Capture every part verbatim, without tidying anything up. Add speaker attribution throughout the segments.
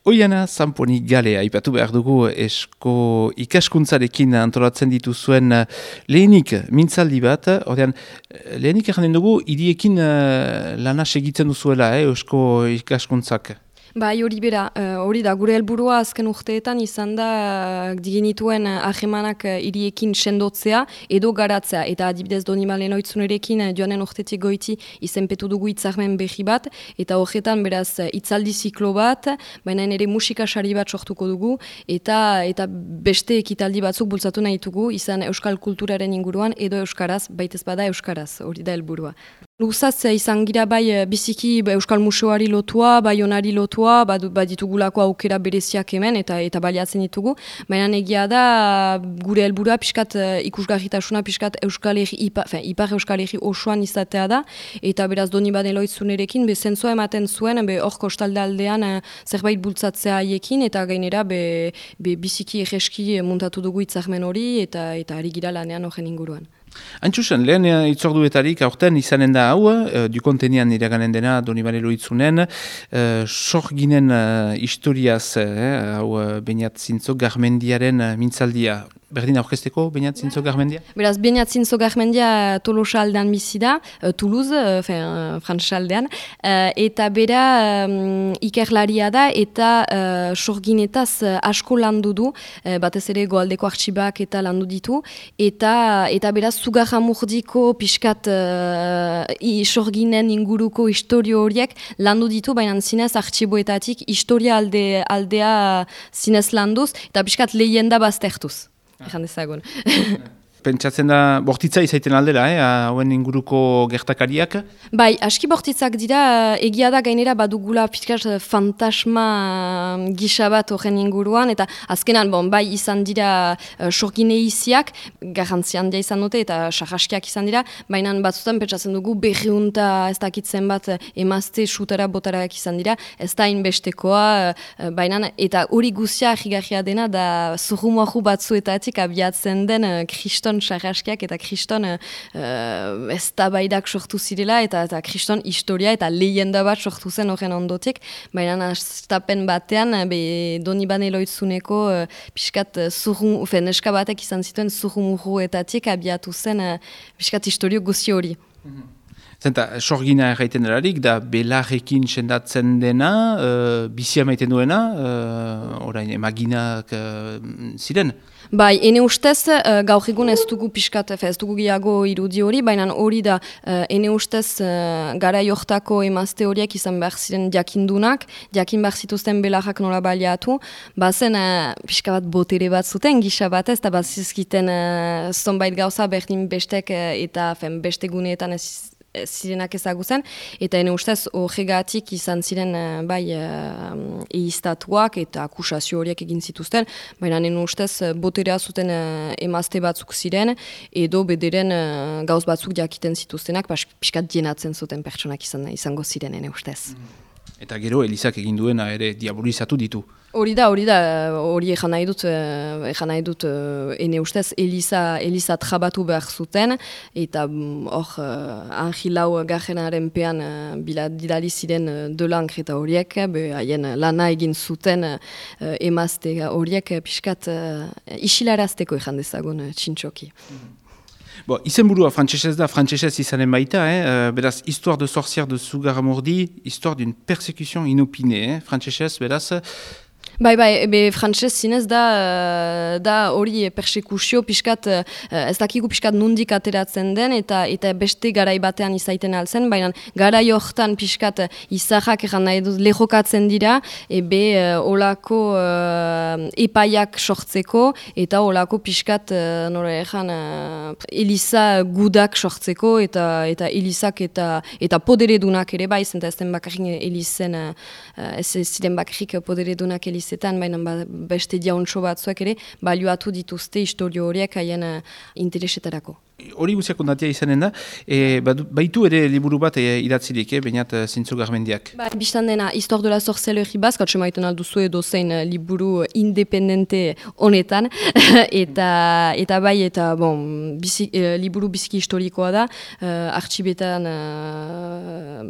Speaker 1: Oiana Zamponi Gale, aipatu behar dugu esko ikaskuntzarekin antolatzen dituzuen lehenik mintzaldi bat. Ordean, lehenik erranen dugu, hiriekin uh, lana segitzen duzuela, eh, esko ikaskuntzak.
Speaker 2: Bai, hori bera, hori da, gure helburua azken urteetan izan da digenituen ahemanak hiriekin sendotzea edo garatzea. Eta adibidez Donibane Loitzunerekin joanen urtetik goiti izenpetu dugu hitzarmen berri bat, eta horretan beraz hitzaldi ziklo bat, baina ere musika sari bat sortuko dugu, eta eta beste ekitaldi batzuk bultzatu nahi dugu, izan euskal kulturaren inguruan edo euskaraz, baitez bada euskaraz, hori da helburua. Luzaz izan gira bai biziki Euskal Museoari lotua, bai onari lotua, baditugulako aukera bereziak hemen eta eta baliatzen ditugu. Baina egia da gure helburua pixkat ikusgarritasuna pixkat Euskal Herri, Ipar, Ipar Euskal Herri osoan izatea da. Eta beraz Donibane Loitzunerekin be zentzua ematen zuen be hor kostalde aldean zerbait bultzatzea haiekin eta gainera be, be biziki egeski muntatu dugu hitzarmen hori eta eta ari gira lanean horren inguruan.
Speaker 1: Antxusen, lehen itzorduetarik aurten izanen da hau, uh, dukontenian iraganen dena Donibane Loitzunen, uh, sorginen uh, historiaz, uh, hau uh, Beñat Zintzo Garmendiaren uh, mintzaldia. Berdin aurkezteko, Beñat Zintzo Garmendia?
Speaker 2: Beraz, Beñat Zintzo Garmendia Tolosa aldean bizi da, uh, Toulouse, uh, uh, Frantsa aldean, uh, eta bera um, ikerlaria da eta uh, sorginetaz uh, asko landu du, uh, batez ere goaldeko artxibak eta landu ditu, eta, eta beraz, Zugarramurdiko pixkat uh, sorginen inguruko historio horiek landu ditu, baina zinez artxiboetatik historia alde, aldea zinez landuz, eta pixkat lehenda baztertuz. Ejan dezagun.
Speaker 1: Pentsatzen da, bortitza izaiten aldera, eh, hauen inguruko gertakariak?
Speaker 2: Bai, aski bortitzak dira, egia da gainera badugula pixkat fantasma gisa bat horren inguruan, eta azkenan, bon, bai izan dira uh, sorgine iziak, garrantzi handia izan dute, eta sarraskiak izan dira, baina batzutan pentsatzen dugu berriunta ez dakitzen bat emazte sutara botarak izan dira, ez da inbestekoa, uh, baina, eta hori guzia ahigarria dena, da zurrumoahu batzuetatik abiatzen den uh, kriston sarraskiak eta kriston uh, eztabaidak sortu zirela eta eta kriston historia eta lehenda bat sortu zen horren ondotik, baina astapen batean be Donibane Loitzuneko uh, pixkat zurru, fe, neska batek izan zituen zurrumurruetatik abiatu zen uh, pixkat historio guzi hori.
Speaker 1: Mm-hmm. Zenta, sorgina erraiten delarik, da belarrekin sendatzen dena, uh, bizia maiten duena, uh, orain emaginak uh, ziren?
Speaker 2: Bai, ene ustez, uh, gaur egun ez dugu pixkat, ez dugu gehiago irudi hori, baina hori da, uh, ene ustez, uh, gara jortako emazte horiek izan behar ziren jakindunak, jakin behar zituzten belarrak nola baliatu, bazen uh, pixka bat botere bat zuten, gisa bat ez, eta bat zizkiten uh, zonbait gauza berdin bestek uh, eta fen, beste guneetan ez zirenak ezagutzen, eta ene ustez horregatik izan ziren uh, bai uh, eiztatuak eta akusazio horiek egin zituzten, baina ene ustez boterea zuten uh, emazte batzuk ziren, edo bederen uh, gauz batzuk jakiten zituztenak, pixkat dienatzen zuten pertsonak izan, izango ziren ene ustez.
Speaker 1: Eta gero Elizak egin duena ere diabolizatu ditu.
Speaker 2: Hori da, hori da, hori ejan nahi dut, ejan nahi dut, ene ustez, Eliza, Eliza trabatu behar zuten, eta hor, uh, Angilau garrenaren pean uh, biladidali ziren uh, delankre eta horiek, haien lana egin zuten uh, emazte horiek pixkat uh, isilarazteko ejan dezagun uh, txintxoki. Mm-hmm.
Speaker 1: Bon, izenburua frantsesez da, frantsesez izanen baita, eh? beraz, Histoire de sorcière de Zugarramurdi, histoire d'une persécution inopinée, eh? Frantsesez, beraz...
Speaker 2: Bai, bai, be frantses zinez da, da hori persekuzio pixkat, ez dakigu pixkat nundik ateratzen den, eta eta beste garai batean izaiten altzen, baina garai hortan pixkat izahak egan nahi dut lehokatzen dira, ebe olako uh, epaiak sortzeko, eta olako pixkat, uh, nore egan, uh, Eliza gudak sortzeko, eta eta Elizak eta eta poderedunak ere bai, zenta ez den bakarrik Elizen, uh, ez ziren bakarrik poderedunak Elizen, zetan, baina beste diauntxo batzuak ere, balioatu dituzte historio horiek haien uh, interesetarako.
Speaker 1: Hori guziak ondatia izanen da, e, baitu ere liburu bat e, idatzilik, eh, bainat Zintzo Garmendiak.
Speaker 2: Ba, biztan dena, Histoire de la sorcellerie basque, atxe maiten alduzu edo zein liburu independente honetan, eta, eta bai, eta bon, bizi, e, liburu biziki historikoa da, e, artxibetan e,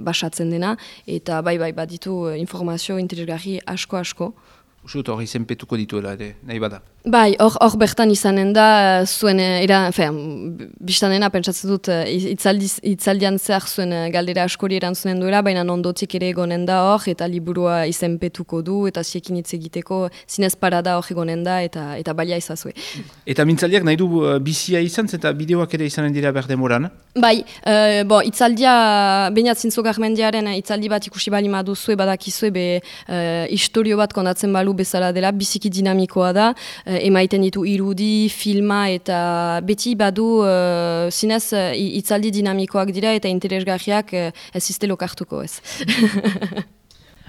Speaker 2: basatzen dena, eta bai, bai, baditu informazio interesgarri asko-asko.
Speaker 1: Usut hori zenpetuko dituela ere, nahi bada.
Speaker 2: Bai, hor bertan izanen da, zuen, era, fean, biztanena, pentsatzen dut, itzaldiz, itzaldian zehar zuen galdera askori erantzunen duela, baina ondotik ere egonen da hor, eta liburua izenpetuko du, eta ziekin hitz egiteko zinez parada hor egonen da, eta, eta balia izazue. Eta
Speaker 1: mintzaldiak nahi du bizia izan, eta bideoak ere izanen dira berdemoran?
Speaker 2: Bai, uh, bo, itzaldia, bainat Zintzo Garmendiaren itzaldi bat ikusi bali maduzue, badakizue, be, uh, historio bat kondatzen balu bezala dela, biziki dinamikoa da, emaiten ditu irudi, filma eta beti badu uh, zinez uh, itzaldi dinamikoak dira eta interesgarriak uh, ez izte lokartuko ez.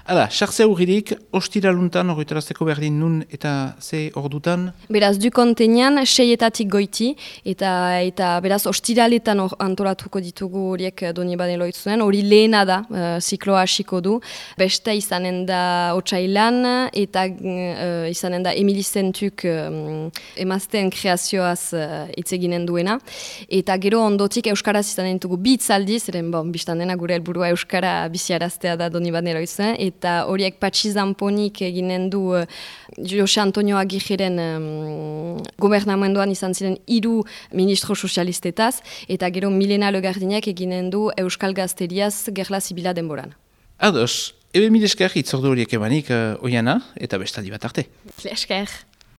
Speaker 1: Hala, sartzea urririk, ostiraluntan horretarazteko berdin nun eta ze ordutan?
Speaker 2: Beraz, du kontenean, seietatik goiti, eta eta beraz, ostiraletan or, antolatuko ditugu horiek Donibane Loitzunen, hori lehena da, uh, zikloa hasiko du. Beste izanen da otsailan, eta uh, izanen da Emili Zentuk um, emazteen kreazioaz hitz uh, eginen duena. Eta gero ondotik Euskaraz izanen ditugu bi itzaldi, zeren bon, biztan dena gure helburua Euskara biziaraztea da Donibane Loitzunen, eta horiek Patxi Zamponik eginen du uh, Jose Antonio Aguirreren um, gobernamenduan izan ziren hiru ministro sozialistetaz, eta gero Milena Legardinek eginen du Euskal Gazteriaz Gerla Zibila denboran.
Speaker 1: Ados, ebe mil esker hitzordu horiek emanik uh, oiana, eta bestaldi bat arte.
Speaker 2: Esker.